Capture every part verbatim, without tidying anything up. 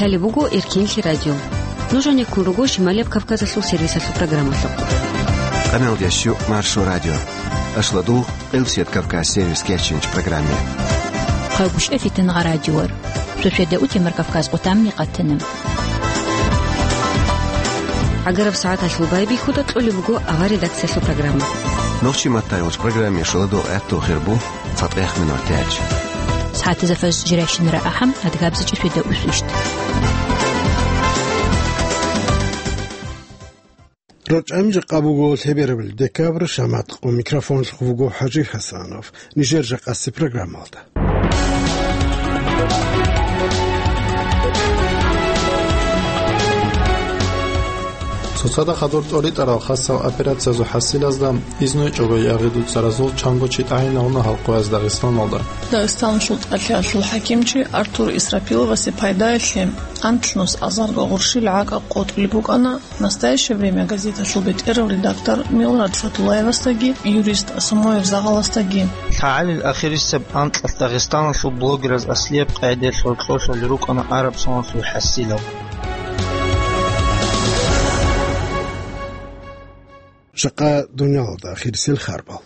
Лъалеб буго Эркенлъи радио. Нуж гьанеккун руго Шималияб Кавказалъул сервисалъул программалъухъ. Къаналдияс щу Маршо радио. Ашладул Къилсият Кавказ сервис кечинч программе. Хъагушев Фитнагъа радиор. Суседа утемар Кавказ къутамни къатана. ГӀагараб сагӀаталъул байбихьуда кьолеб буго авар редакциялъул программа. Нохчи маттайолч программе шуладул гӀатту хирбу цатӀех минутач. СагӀатазда фаз жиращинара ахӀам, адгабзачӀи суседа усвищт. РорчӀами жакъа буго лъеберабали декабрь, шамат къо микрофонлъухъ вуго ХӀажи Хасанов. Нижер жакъаси программалда. Цоцада хадур тӀоритӀарал хасал операциязул хӀасилазда изнуйчӀого ягъи дуцаразул чанго чи тӀагӀинавуна халкъояз Дагъистаналда. Дагъистаналъул тӀалъиялъул хӀакимчи Артур Исрапиловасе пайдаялъе анлънус азарго гъурщил гӀакӀа къотӀулеб букӀана. «Настоящее время» газеталъул бетӀерав редактор Милрат Фатулаевасдаги юрист Самоев Загъаласдаги. ЛъагӀалил ахирисеб анкьалъ Дагъистаналъул блогераз аслияб къагӀидаялъ гьоркьорлъулел рукӀана араб соналъул хӀасилал. Жакъа дуниялалда ахирисел харбал.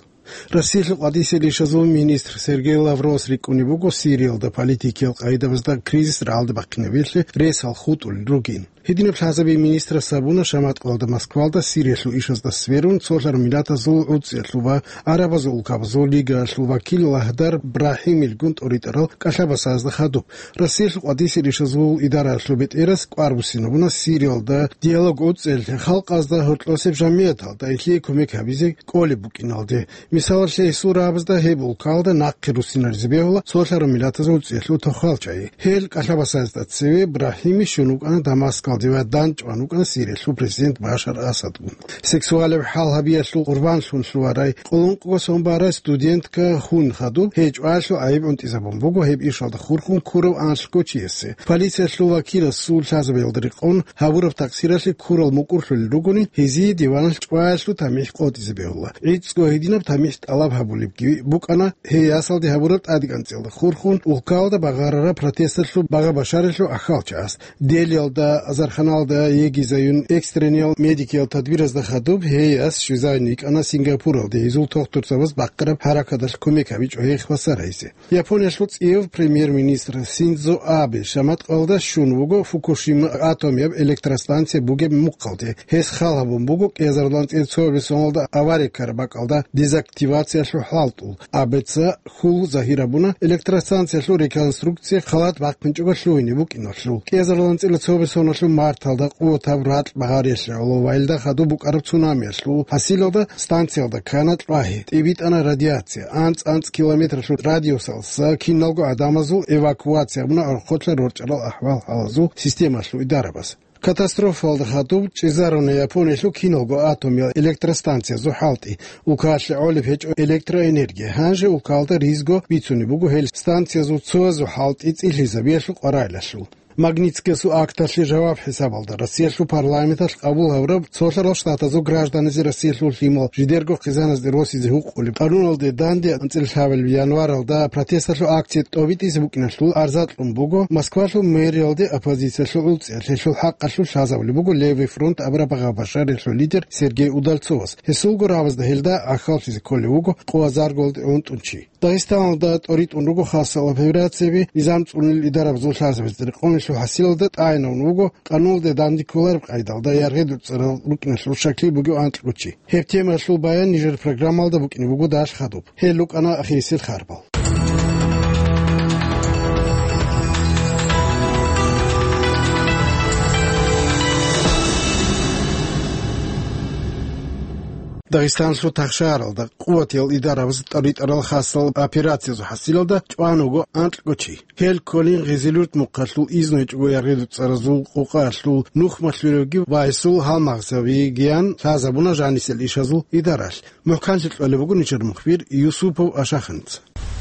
Россиялъул къватӀисел ишазул министр Сергей Лавровас рикӀкӀунеб буго Сириялда политикиял къагӀидабазда кризис рагӀалде бахъинабиялъе ресал хутӀулел ругин. Гьединаб лъазаби министрас гьабуна шаматкъалда Москвалда Сириялъул ишазда сверун, цолъараб миллатазул гӀуцӀиялъул ва Арабазул улкабазул лигаялъул вакил Лагьдар Брахимилгун тӀоритӀарал кӀалъабасазда хадуб. Россиялъул къватӀисел ишазул идараялъул бетӀерас кӀвар буссинабуна Сириялда диалог гӀуцӀиялъе, халкъазда гьоркьосеб жамигӀаталда илъие кумек гьабизе кӀолеб букӀиналде. Мисалалъе, гьесул рагӀабазда гьеб улкалда нахъе руссинаризе бегьула цолъараб миллатазул гӀуцӀиялъул тохал чагӀи. Гьел кӀалъабасазда цеве Брахими щун вукӀана Дамаскалде ва дандчӀван вукӀана Сириялъул президент Башар Асадгун. Сексуалаб хӀал гьабиялъул къурбанлъун лъугьарай, къулункъго сон барай студентка хун хадуб, гьей чӀваялъул гӀайиб гӀунтӀизабун буго гьеб ишалда хурхун ккурав анлъго чиясе. Полициялъул вакиласул лъазабиялда рекъон гьабураб такъсиралъе ккурал мукӀурлъулел ругони, гьезие диваналъ чӀваялъул тамихӀ къотӀизе бегьула. ГӀицӀго гьединаб тамихӀ тӀалаб гьабулебги букӀана гьей ясалде гьабураб тӀадегӀанцӀиялда хурхун улкалда багъарараб протесталъул багъа-башаралъул ахьалчагӀаз. Делиялда, Азарханалда, Егизаюн экстрениял медикиял тадбиразда хадуб, гьей яс щвезавин йикӀана Сингапуралде, гьезул тухтурзабаз бахъараб хӀаракаталъ кумек гьабичӀо гьей хвасар гьайзе. Япониялъул цӀияв премьер-министр Синдзо Абе шаматкъалда щун вуго Фукушима атомияб электростанция бугеб мухъалде. Гьес хал гьабун буго кӀиазарилан цӀе цо бесоналда авария ккараб бакӀалда дезактивациялъул хӀалтӀул. Абеца хьул загьир гьабуна электростанциялъул реконструкция халат бахъинчӀого лъугьине букӀиналъул. КӀиазарилан цӀила цо бесоналъул марталда къуватаб ракь багъариялъе гӀоло ва илда хадуб букӀараб цунамиялъул хӀасилалда станциялда ккана кьвагьи, тӀибитӀана радиация, анцӀ-анцӀ километралъул радиусалса киналго гӀадамазул эвакуация гьабуна гӀорхъолъа рорчӀарал ахӀвал-хӀалазул системалъул идарабаз. Катастрофалда хадуб чӀезаруна Япониялъул киналго атомиял электростанциязул хӀалтӀи. Улкалъе гӀолеб гьечӀо электроэнергия. Гьанже улкалда ризго бицунеб буго гьел станциязул цоязул хӀалтӀи цӀилъизабиялъул къваригӀелалъул. Магнитскиясул акталъе жаваб хӀисабалда Россиялъул парламенталъ къабул гьабураб Цолъарал Штатазул гражданизе Россиялъул лъимал жидерго хъизаназде росизе гьукъулеб къануналде данде анцӀила лъабабилеб январалда протесталъул акция тӀобитӀизе букӀиналъул арза кьун буго Москвалъул мэриялде оппозициялъул гӀуцӀиялъ, гьелъул хӀакъалъулъ лъазабулеб буго Левый фронт абураб багъа-башариялъул лидер Сергей Удальцовас. Гьесулго рагӀабазда гьелда гӀахьаллъизе кколев вуго къо азарго гӀунтӀун чи. Дагъистаналда тӀоритӀун руго хасал операцияби низам цӀунил идарабазул лъазабазда рекъонлъул хӀасилалда тӀагӀинавун вуго къануналде данде кколареб къайдалда яргъи дуцӀарал рукӀиналъул щаклъи бугев анкьго чи. Гьеб темаялъул баян нижер программалда букӀине буго далъ хадуб. Гьел рукӀана ахирисел харбал. Дагъистаналъул тахшаралда къуватиял идарабаз тӀоритӀарал хасал операциязул хӀасилалда чӀван вуго анкьго чи. Гьел кколин Гъизилюрт мухъалъул изнуйчӀого яргъи дуцӀаразул къукъаялъул нухмалъуравги ва гьесул гьалмагъзабигиян лъазабуна жанисел ишазул идаралъ. МухӀканлъи кьолеб буго нижер мухбир Юсупов Ашаханца.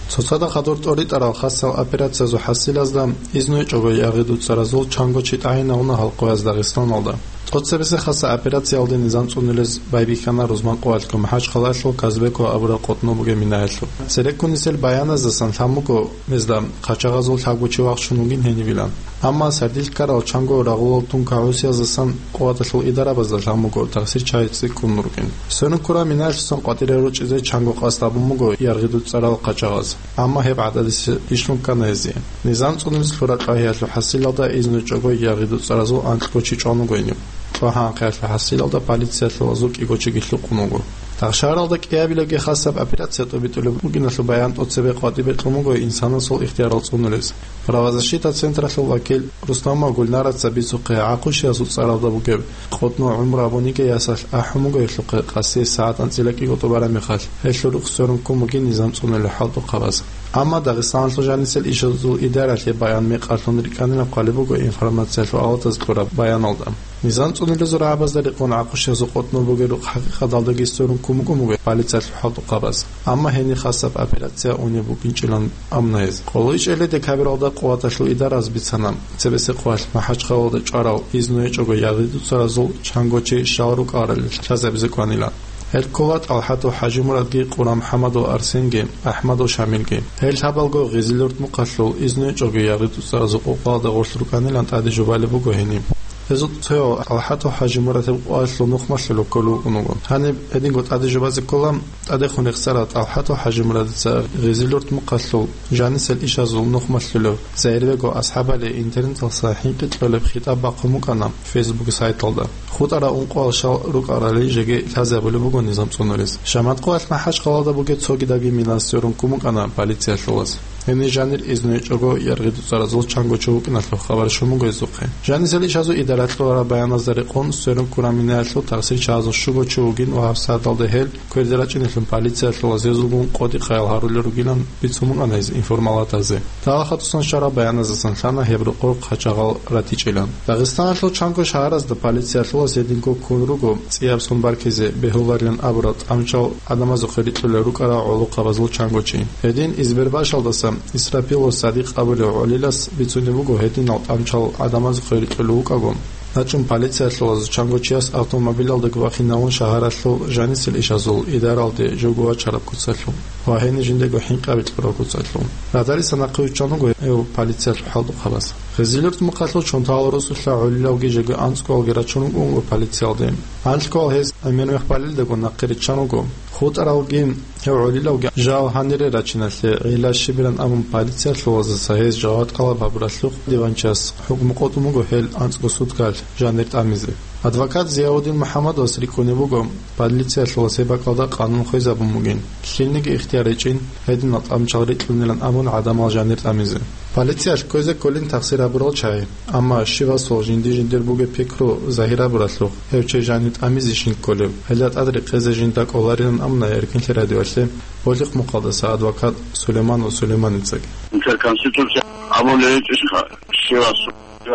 Цоцада хадур тӀоритӀарал хасал операциязул хӀасилазда изнуйчӀого яргъи дуцӀаразул чанго чи тӀагӀинавуна халкъояз Дагъистаналда. Цоцебесеб хасал операциялде низам цӀунилез байбихьана рузман къоялъго МахӀачхъалаялъул Казбекова абураб къотӀнов бугеб минаялъул. Цереккун нисел баяназдасан лъан буго гьезда, хъачагъазул лъабго чи вахчун вугин гьенивилан. Амма сардилъ ккарал чанго рагъулал тункагӀусияздасан къуваталъул идарабазда лъан буго тахсир чагӀи цӀикӀкӀун рукӀин. Сверун ккураб минаялъусан къватӀире ручӀизе чанго къасд гьабун буго яргъи дуцӀарал къачагъаз. Амма гьеб гӀададиса ишлъун ккана гьезие. Низам цӀунулез лъураб кьвагьиялъул хӀасилалда изну гьечӀого яргъи дуцӀаразул анкьго чи чӀван вуго гьениб. Кьвагьанхъиялъул хӀасилалда полициялъулазул кӀиго чиги лъукъун вуго. Тахшагьаралда кӀиабилебги хасаб операция тӀобитӀулеб бугиналъул баян тӀоцебе къватӀибе кьун буго инсанасул ихтиярал цӀунулез. Правозащита централъул вакил Рустамова Гульнараца бицухъе, гӀакъущиясул цӀаралда бугеб къотӀнов гӀумру абуниги ясалъ ахӀун буго гьелъухъе къаси сагӀат анцӀила кӀиго тӀубараб мехалъ, гьелъул рухс сверун ккун бугин низам цӀунулел хӀалтӀухъабаз. Амма Дагъистаналъул жанисел ишазул идаралъе баян мекъалъун рикӀкӀанилан хъвалеб буго информациялъул авалаз кьураб баяналда. Низам цӀунулезул рагӀабазда рекъон гӀакъущиясул къотӀнов бугеб рухъ хӀакъикъаталдаги сверун ккун букӀун буго полициялъул хӀалтӀухъабаз. Амма гьениб хасаб операция унеб букӀинчӀилан амна гьез. КъолоичӀеллъи декабралда къуваталъул идараз бицана, цебесеб къоялъ МахӀачхъалалда чӀварал изну гьечӀого яргъи дуцӀаразул чанго чи щал рукӀарал лъазабизе кӀванила. Гьел ккола ТӀалхӀатов ХӀажимурадги, Къурам ХӀамадов Арсенги, АхӀмадов Шамилги. Гьел лъабалго Гъизилуртмухъалъул изну гьечӀого яргъи дуцӀаразул къокъалда гъорлъ рукӀанилан тӀаде жубалеб буго гьениб. Гьезул цояв ТӀалхӀатов ХӀажимурадил къоялъул нухмалъулев кколев вукӀун вуго. Гьаниб гьединго тӀаде жубазе ккола тӀадехун рехсарав ТӀалхӀатов ХӀажимурадица Гъизилуртмухъалъул жанисел ишазул нухмалъулев Загьирбегов АсхӀабали интернеталъа хӀинкъи кьолеб хитӀаб бахъун букӀана Facebook сайталда. ХутӀарал ункъоял щал рукӀарали жеги лъазабулеб буго низам цӀунулез. Шаматкъоялъ МахӀачхъалалда бугеб цогидаги мина сверун ккун букӀана полициялъулаз. Гьенир жанир изну гьечӀого яргъи дуцӀаразул чанго чи вукӀиналъул хабар щун буго гьезухъе. Жанисел ишазул идаралъ кьураб баяназда рекъон сверун ккураб минаялъул тахсир чагӀазул щуго чи вугин ва гьабсагӀаталда гьел кверде рачӀинелъун полициялъулаз гьезулгун къотӀи-къаял гьарулел ругилан бицун букӀана гьез информалатазе. ТӀалхӀатовсан щвараб баяназдасан лъана гьеб рокъор къачагъал ратичӀилан. Дагъистаналъул чанго шагьаразда полициялъулаз гьединго ккун руго цӀияб сон баркизе бегьуларилан абурал тӀамчал гӀадамазухъе рикьулел рукӀарал гӀолохъабазул чанго чи. Гьедин Избербашалдаса Исрапилов Садикъ абулев гӀолилас бицунеб буго гьединал тӀамчал гӀадамазухъе рикьулев вукӀаго, рачӀун полициялъулаз чанго чияс автомобилалдаги вахинавун шагьаралъул жанисел ишазул идаралде живго вачараб куцалъул ва гьенир жиндего хӀинкъаби кьураб куцалъул. Радалиса нахъе виччан вуго гьев полициялъул хӀалтӀухъабаз. Гъизилуртмухъалъул чонтал росулъа гӀолилавги жеги анцӀгоялги рачун вукӀун вуго полициялде. Анлъгоял гьез гӀемер мех балелдаго нахъе риччан вуго. ХутӀаралги гьев гӀолилавги жал гьанире рачиналъе гӀилла щибилан абун полициялъулаздаса гьез жаваб тӀалаб гьабуралъухъ диванчияс хӀукму къотӀун буго гьел анцӀго суткалъ жанир тӀамизе. Адвокат Зияудин МухӀаммадовас рикӀкӀунеб буго, полициялъулаз гьеб бакӀалда къанун хвезабун бугин, лъилниги ихтияр гьечӀин гьединал тӀамчал рикьунилан абун гӀадамал жанир тӀамизе. Полициялъ кквезе кколин тахсир гьабурал чагӀи. Амма щивасул жинди-жиндир бугеб пикру загьир гьабуралъухъ, гьев чи жанив тӀамизе щин кколев, гьелда тӀад рекъезе жинда кӀоларилан амна Эркинлъи радиоялъе Болихъмухъалдаса адвокат Сулейманов Сулейманицаги. Интерконституция абулеб гьечӀищха, щивасул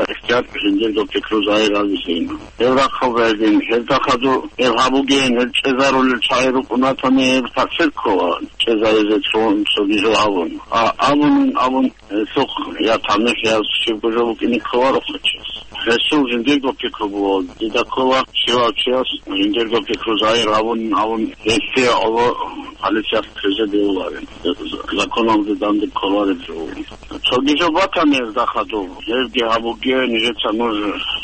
ихтияр жиндирго пикру загьир гьабизе. Гьев рахъалда гьедин, гьеб дахъаду, гьеб гьабуген, гьеб чӀезарулел чагӀи рукӀун ратани, гьеб тахсир ккола, чӀезаризе цо-, цогидал абун. А, абунин, абун. Гьесухъ я тамихӀ, я щибго жо букӀине кколаро хъачияс. Гьесул жиндирго пикру буго, дида ккола, щивав чияс жиндирго пикру загьир гьабун, гьабун, гьесие гӀоло полициялъ кквезе бегьуларин. Законалде данде кколареб жо буго. Цоги жо батани гьезда хадуб, гьебги гьабуге, нижеца нуж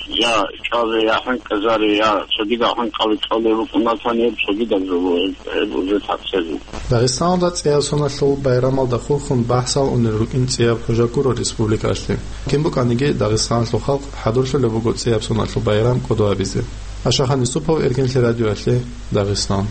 я чӀвазе, я хӀинкъизаре, я цогидал хӀинкъаби кьолеб букӀунатани, гьеб цогидаб жо буго, гьеб, гьеб уже тахсир буго. Дагъистаналда цӀияб соналъул байрамалда хурхун бахӀсал унел рукӀин цӀияб хӀужа гуро республикалъе. Кин букӀаниги, Дагъистаналъул халкъ хӀадурлъулеб буго цӀияб соналъул байрам кӀодо гьабизе. Ашахан Юсупов, Эркинлъи радиоялъе, Дагъистан.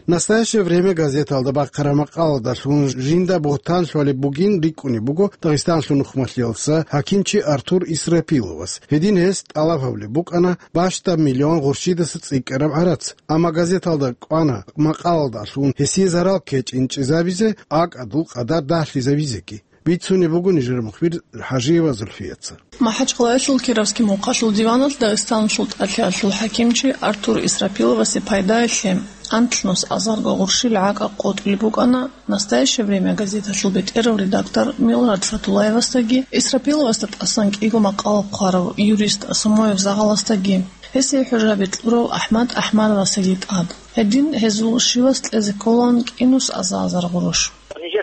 «Настоящее время» газеталда бахъараб макъаладалъун жинда бугьтан лъолеб бугин рикӀкӀунеб буго Дагъистаналъул нухмалъиялдаса хӀакимчи Артур Исрапиловас. Гьедин гьес тӀалаб гьабулеб букӀана бащдаб миллион гъурщидаса цӀикӀкӀараб гӀарац. Амма газеталда кӀвана макъаладалъун гьесие зарал ккечӀин чӀезабизе, акӀадул къадар дагьлъизабизеги. Бицунеб буго нижер мухбир ХӀажиева Зульфияца. МахӀачкъалаялъул Кировский мукъалъул диваналъ Дагъистаналъул тӀалъиялъул хӀакимчи Артур Исрапиловасе пайдаялъе анлънус азарго гъурщил гӀакӀа къотӀулеб букӀана «Настоящее время» газеталъул бетӀерав редактор Милрат Фатуллаевасдаги, Исрапиловасда тӀасан кӀиго макъала хъварав юрист Самоев Загъаласдаги, гьесие хӀужаби кьурав АхӀмад АхӀмадовасдаги тӀад. Гьедин гьезул щивас кьезе кколаан кӀинус аза-азар гъурущ.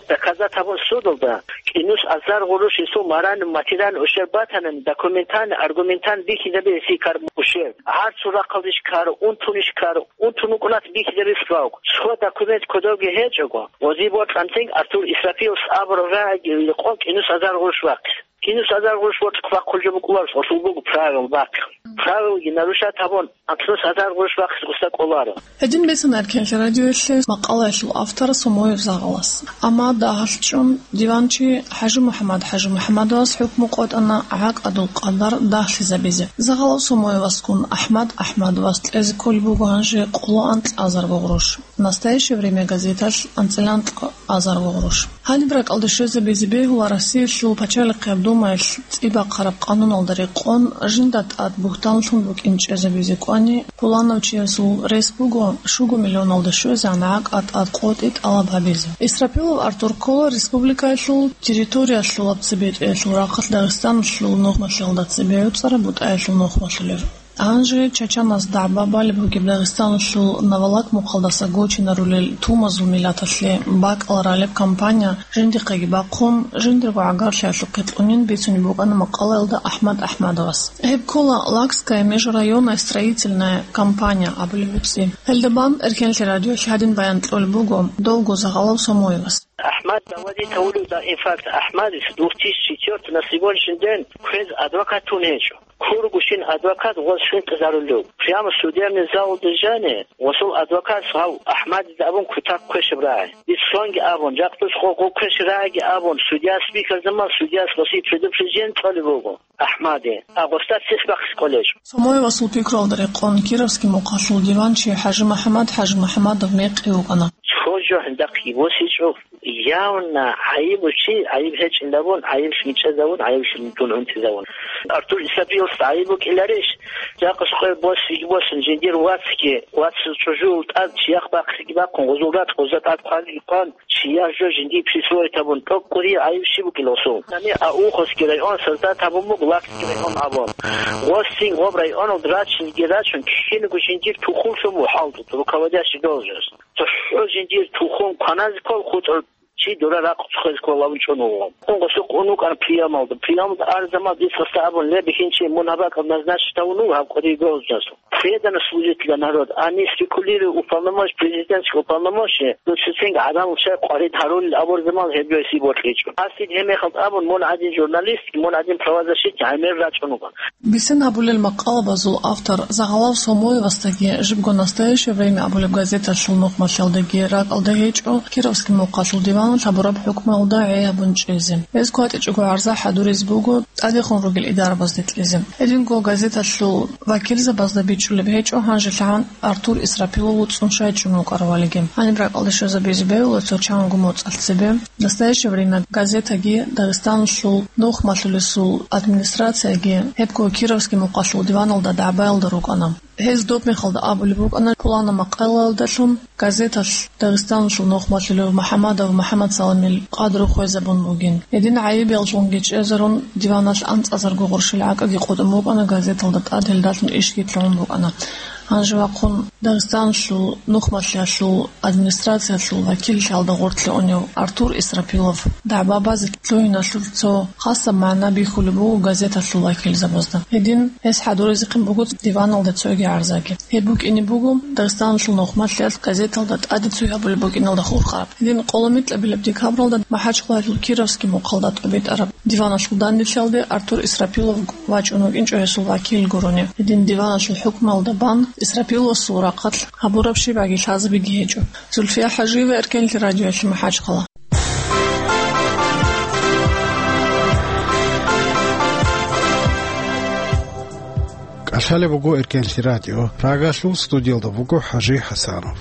Доказать гьабун судалда, кӀинус азар гъурущ гьесул маран, материалан ущерб батанани, документан, аргументан бихьизабе гьесие ккар ущерб. ГӀарцул рахъалдищ ккар, унтунищ ккар, унтун вукӀунат бихьизабе справку. Цо документ кодовги гьечӀого, гъозие бокьанцин Артур Исрафиловас абураб рагӀиги къо кӀинус азар гъурущ вахъе. КӀинус азар гъурущ вахъулеб жо букӀуларус гъолъул буго правил бахъи. Правилги нарушать гьабун, анцӀнус азар гъурущ вахъизе гъуса кӀоларо. Гьедин бицана Эркенлъи радиоялъе макъалаялъул автор Сомоев Загъалас. Амма дагьалъ чӀун диванчи ХӀажимухӀаммад ХӀажимухӀаммадовас хӀукму къотӀана гӀакъадул къадар дагьлъизабизе. Загъалав Сомоевасгун АхӀмад АхӀмадовас кьезе кколеб буго гьанже къоло анкьазарго гъурущ. «Настоящее время» газеталъ анцӀила анкьазарго гъурущ. Гьаниб ракӀалде щвезабизе бегьула Россиялъул Пачалихъияб Думаялъ цӀи бахъараб къануналда рекъон, жинда тӀад бугьтанлъун букӀин чӀезабизе кӀвани, пуланав чиясул рес буго щуго миллионалда щвезегӀан гӀакъа тӀад къотӀи тӀалаб гьабизе. Исрапилов Артур ккола республикаялъул территориялъулаб цебетӀеялъул рахъалъ Дагъистаналъул нухмалъиялда цебе гӀуцӀараб бутӀаялъул нухмалъулев. Гьанже чачаназ дагӀба балеб бугеб Дагъистаналъул Наволак мухъалдаса гочинарулел тумазул миллаталъе бакӀал ралеб кампания жиндихъеги бахъун, жиндирго гӀагарлъиялъухъе кьунин бицунеб букӀана макъалаялда АхӀмад АхӀмадовас. Гьеб ккола «Лакская межрайонная строительная компания» абулеб цӀи. Гьелда бан Эркенлъи радиоялъ гьадин баян кьолеб буго довго Загъалав Сомоевас. АхӀмад заводить гьавулев, да, инфаркт. АхӀмадис двух тысячи четвёртый на сегодняшний день квез адвокат тун гьечӀо. Кургущин адвокат гъоз хӀинкъизарулев. Прямо судебный залалда жани, гъосул адвокатас гьав АхӀмадида абун кутак квешаб рагӀи. Иццонги абун, жакъдус гъо-, гъо квешаб рагӀиги абун, судья спикер заман судьяс гъосие предупреждение кьолеб буго АхӀмаде, а гъосда цец бахъизе кӀолечӀо. Сомоевасул пикруялда рекъон Кировский мухъалъул диванчи ХӀажимухӀаммад ХӀажимухӀаммадов мекъи вукӀана. Цо жо гьиндахъги босичӀо, явно гӀайиб чи, гӀайиб гьечӀин абун, гӀайиб мичӀазавун, гӀайиб дун унтизавун. Артур Исрапиловас гӀайиб букӀиларищ? Жакъа къоялъ босиги босун, жиндир вацги, вацал чӀужуял тӀад чияхъ бахъиги бахъун, гъозул ракь гъозда тӀад хъваги хъван, чияр жо жиндие присвоить гьабун, тӀокӀкӀури гӀайиб щиб букӀила гъосул? Гьаниб Ауховский район создать гьабун буго, Лакский район абун. Гъосин гъоб районалда рачинги рачун, киналго жиндир тухумлъун буго хӀалтӀу, руководящий должность. ЦохӀо жиндир тухум кваназе ккол хутӀун, чи дора ракъ цохизе кколабун чӀун вуго. Гъосухъ ун вукӀана приемалда. Приемалда арзамал дицаста абун, ле, бихьинчи, мун гьаб бакӀал назначить гьавун вуго гьаб кӀудияв должность. Преданность служить для народа, а не спекулируя уполномочи-, президентский уполномоченный, ну, цоцинги гӀадамал щай къварид гьарулел абурзамал гьеб жо гьесие бокьичӀо. Гьасие гьеб мехалда абун, мун гӀадин журналист, мун гӀадин правозащитник гӀемер рачӀун вугоан. Бицен гьабулел макъалабазул автор Загъалав Сомоевасдаги жибго «Настоящее время» абулеб газеталъул нухмалъиялдаги ракӀалда гьечӀо Кировский мухъалъул диваналъ гьабураб хӀукмуялда гӀей гьабун чӀезе. Гьез кватӀичӀого гӀарза хӀадуризе буго тӀадехун ругел идарабазде кьезе. Гьединго газеталъул вакилзабазда бичӀчӀулеб гьечӀо гьанжелъагӀан Артур Исрапилов вуцӀцӀун щай чӀун вукӀаравалиги. Гьаниб ракӀалде щвезабизе бегьула цо чанго моцӀалъ цебе. «Настоящее время» газетаги Дагъистаналъул нухмалъулесул администрацияги гьебго Кировский мухъалъул диваналда дагӀбаялда рукӀана. Гьез доб мехалда абулеб букӀана, пуланаб макъалаялдалъун газеталъ Дагъистаналъул нухмалъулев МухӀаммадов МухӀаммадсаламил къадру хвезабун бугин. Гьедин гӀайибиялъунги чӀезарун, диваналъ анцӀазарго гъурщил гӀакӀаги къотӀун букӀана газеталда тӀад, гьелдалъун ишги лъугӀун букӀана. Гьанже вахъун Дагъистаналъул нухмалъиялъул администрациялъул вакиллъиялда гъорлъе унев Артур Исрапилов дагӀба базе лъугьиналъул цо хасаб магӀна бихьулеб буго газеталъул вакилзабазда. Гьедин гьес хӀадуризехъин буго диваналда цоги гӀарзаги. Гьеб букӀине буго Дагъистаналъул нухмалъиялъ газеталда тӀаде цой гьабулеб букӀиналда хурхараб. Гьедин къоло микьабилеб декабралда МахӀачхъалаялъул Кировский мухъалда тӀобитӀараб диваналъул данделъиялде Артур Исрапилов вачӀун вукӀинчӀо гьесул вакил гурони. Гьедин диваналъул хӀукмуялда бан Исрапиловасул рахъалъ гьабураб щибаги лъазабиги гьечӀо. Зульфия ХӀажиева, Эркенлъи радиоялъе, МахӀачхъала. КӀалъалеб буго Эркенлъи радио. Прагалъул студиялда буго ХӀажи ХӀасанов.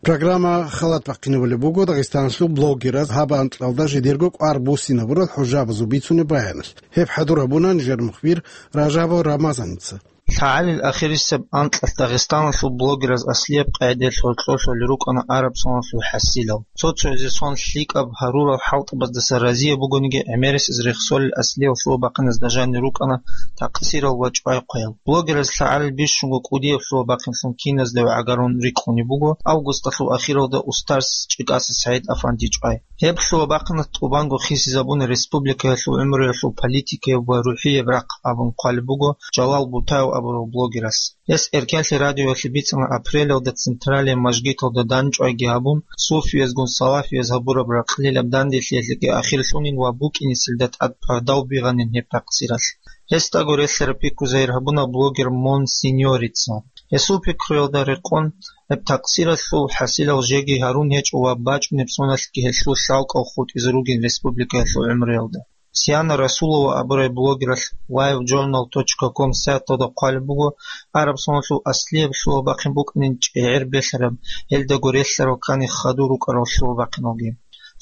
Программа халат бахъинабулеб буго Дагъистаналъул блогераз гьаб анкьалда жидерго кӀвар буссинабурал хӀужабазул бицунеб баяналъ. Гьеб хӀадур гьабуна нижер мухбир Ражабов Рамазаница. ЛъагӀалил ахирисеб анкьалъ Дагъистаналъул блогераз аслияб къагӀидаялъ гьоркьорлъулел рукӀана араб соналъул хӀасилал. Цо-цоязе сон лъикӀаб гьарурал хӀалтӀабаздаса разияб бугониги, гӀемерисез рехсолел аслиял лъугьа-бахъиназда жанир рукӀана такъсирал ва чӀвай-хъваял. Блогераз лъагӀалил бищунго кӀудияб лъугьа-бахъинлъун киназда гӀагарун рикӀкӀунеб буго, августалъул ахиралда устарс ЧӀикӀаса СагӀид-афанди чӀвай. Гьеб лъугьа-бахъинас тӀубанго хисизабуна республикаялъул гӀумруялъул политикаяб ва рухӀияб рахъ абун хъвалеб буго Жалал Бутаев абурав блогерас. Гьес Эркенлъи радиоялъе бицана апрелалда Централияб мажгиталда дандчӀвайги гьабун, суфиязгун салафияз гьабураб ракълилаб данделъиялъеги ахирлъунин ва букӀинесилда тӀад пагьдав бигъанин гьеб такъсиралъ. Гьесдаго релълъараб пикру загьир гьабуна блогер Мон Синьорица. Гьесул пикруялда рекъон, гьеб такъсиралъул хӀасилал жеги гьарун гьечӀо ва бачӀунеб соналъги гьелъул лъалкӀал хутӀизе ругин республикаялъул гӀумруялда. Сиана Расулова абурай блогералъ live journal точка com сайталда хъвалеб буго, араб соналъул аслияб лъугьа-бахъин букӀанин чӀегӀер белъараб, гьелдаго релълъарал ккани хадур рукӀарал лъугьа-бахъиналги.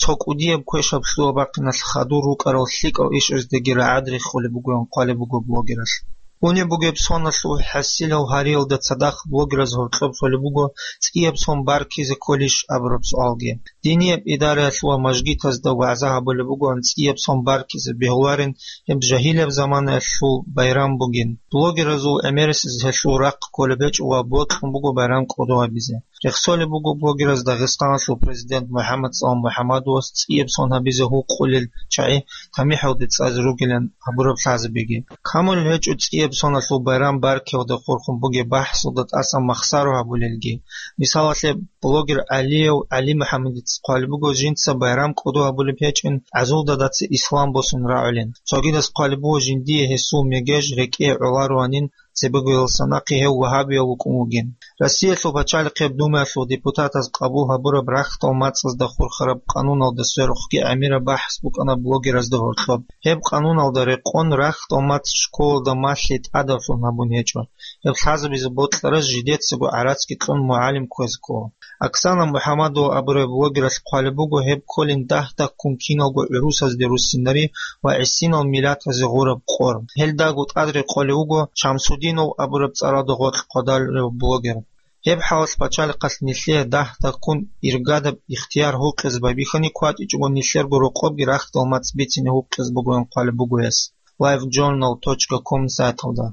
Цо кӀудияб квешаб лъугьа-бахъиналъ хадур рукӀарал лъикӀал ишаздаги рагӀад рехулеб бугоян хъвалеб буго блогералъ. Унеб бугеб соналъул хӀасилал гьариялда цадахъ блогераз гьоркьоб лъолеб буго цӀияб сон баркизе кколищ абураб суалги. Динияб идараялъ ва мажгитазда вагӀза гьабулеб бугоан цӀияб сон баркизе бегьуларин, гьеб жагьилияб заманаялъул байрам бугин. Блогеразул гӀемерисез гьелъул рахъ кколеб гьечӀо ва бокьун буго байрам кӀодо гьабизе. Рехсолеб буго блогераз Дагъистаналъул президент МухӀаммад СаламмухӀаммадовас цӀияб сон гьабизе гьукъулел чагӀи тамихӀалде цӀазе ругилан гьабураб лъазабиги. Камулеб гьечӀо цӀияб соналъул байрам баркиялда хурхун бугеб бахӀсалда тӀасан махсаро гьабулелги. Мисалалъе, блогер ГӀалияв ГӀалимухӀаммадица хъвалеб буго жинца байрам кӀодо гьабулеб гьечӀин, гӀазулдадаца ислам босун рагӀулин. Цогидаз хъвалеб буго жиндие гьесул мегеж рекӀее гӀоларуанин, цебегоялдаса нахъе гьев вагьабияв вукӀун вугин. Россиялъул пачалихъияб Думаялъул депутатаз къабул гьабураб рахьдал мацӀазда хурхараб къануналда сверухъги гӀемераб бахӀс букӀана блогеразда гьоркьоб. Гьеб къануналда рекъон рахьдал мацӀ школалда малъи тӀадавлъун гьабун гьечӀо. Гьеб лъазабизе бокьараз жидецаго гӀарацги кьун мугӀалим кквезе ккола. Оксана МухӀаммадова абурай блогералъ хъвалеб буго гьеб кколин дагь-дагьккун киналго гӀурусазде руссинари ва гӀисинал миллатазе гъураб къор. Гьелдаго тӀад рекъолев вуго Шамсудинов абураб цӀаралда гъоркь хъвадалев блогер. Гьеб хӀалалъ пачалихъалъ нилъее дагь-дагьккун иргадаб ихтияр гьукъизе байбихьани кватӀичӀого нилъерго рокъобги рахьдал мацӀ бицине гьукъизе бугоян хъвалеб буго гьес live journal точка com сайталда.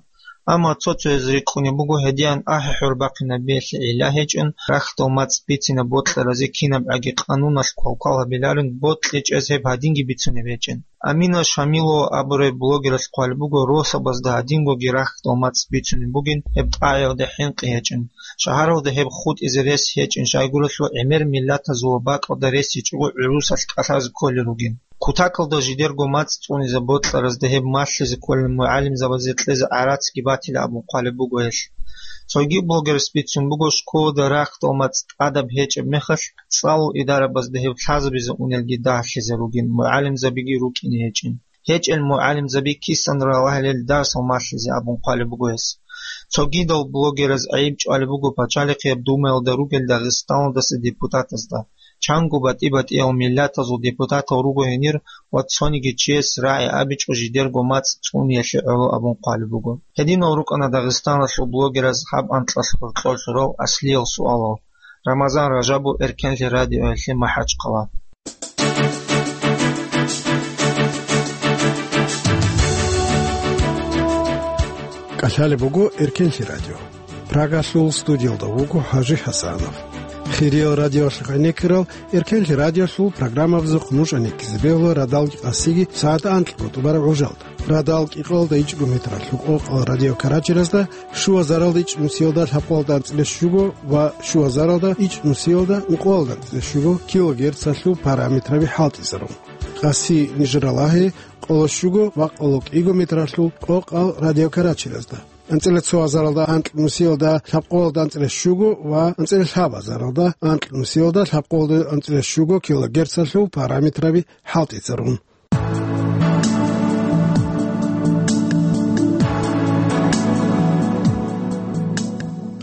Амма цо-цояз рикӀкӀунеб буго гьедиян ахӀи-хӀур бахъинабиялъе гӀилла гьечӀин, рахьдал мацӀ бицине бокьаразе кинабгӀаги къануналъ квалквал гьабиларин, бокьичӀез гьеб гьадинги бицунеб гьечӀин. Амина Шамилова абурай блогералъ хъвалеб буго росабазда гьадингоги рахьдал мацӀ бицунеб бугин, гьеб тӀагӀиялда хӀинкъи гьечӀин. Шагьаралда гьеб хутӀизе рес гьечӀин, щайгурелъул гӀемер миллатазул ва бакӀалда рес гьечӀого гӀурусалъ кӀалъазе кколел ругин. Кутакалда жидерго мацӀ цӀунизе бокьаразда гьеб малъизе кколел мугӀалимзабазе кьезе гӀарацги батила абун хъвалеб буго гьелъ. Цоги блогерас бицун буго школада рахьдал мацӀ тӀадаб гьечӀеб мехалъ, цӀалул идарабазда гьеб лъазабизе унелги дагьлъизе ругин, мугӀалимзабиги рукӀине гьечӀин. ГьечӀел мугӀалимзаби кисан ралагьилел дарсал малъизе абун хъвалеб буго гьес. Цогидал блогераз гӀайиб чӀвалеб буго пачалихъияб Думаялда ругел Дагъистаналдаса депутатазда. Чанго батӀи-батӀиял миллатазул депутатал руго гьенир ва цониги чияс рагӀи абичӀо жидерго мацӀ цӀуниялъе гӀоло абун хъвалеб буго. Гьединал рукӀана Дагъистаналъул блогераз гьаб анкьалъ гьоркьор лъурав аслиял суалал. Рамазан Ражабов, Эркенлъи радиоялъе, МахӀачхъала. КӀалъалеб буго Эркенлъи радио. Прагалъул студиялда вуго ХӀажи ХӀасанов. Хириял радиоялъухъ гӀенеккарал Эркенлъи радиоялъул программабазухъ нуж гӀенеккизе бегьула радалги къасиги сагӀат анкьго тӀубараб гӀужалда. Радал кӀикъоялда ичӀго метралъул къокъал радиокаратеразда, щуазаралда ичӀнусиялда лъабкъоялда анцӀила щуго ва щуазаралда ичӀнусиялда ункъоялда анцӀила щуго килогерцалъул параметраби хӀалтӀизарун. Къаси нижералагьи къоло щуго ва къоло кӀиго метралъул къокъал радиокаратеразда. АнцӀила цо азаралда анкьнусиялда лъабкъоялда анцӀила щуго ва анцӀила лъабазаралда анкьнусиялда лъабкъоялда анцӀила щуго килогерцалъул параметраби хӀалтӀизарун.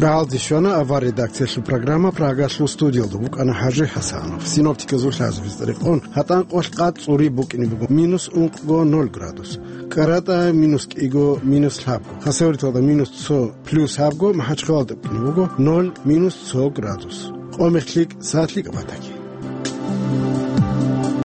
Рагьалде щвана авар редакциялъул программа, Прагалъул студиялда вукӀана ХӀажи ХӀасанов. Синоптиказул лъазабиз тӀарикъун, гьатӀан къоялъ къад цӀури букӀине буго, минус ункъго ноль градус. КӀаратӀа минус кӀиго, минус лъабго. Хасавюрталда минус цо, плюс лъабго, МахӀачхъалаялда букӀине буго ноль, минус цо градус. Къо-мех лъикӀ, сагӀат лъикӀаб батаги.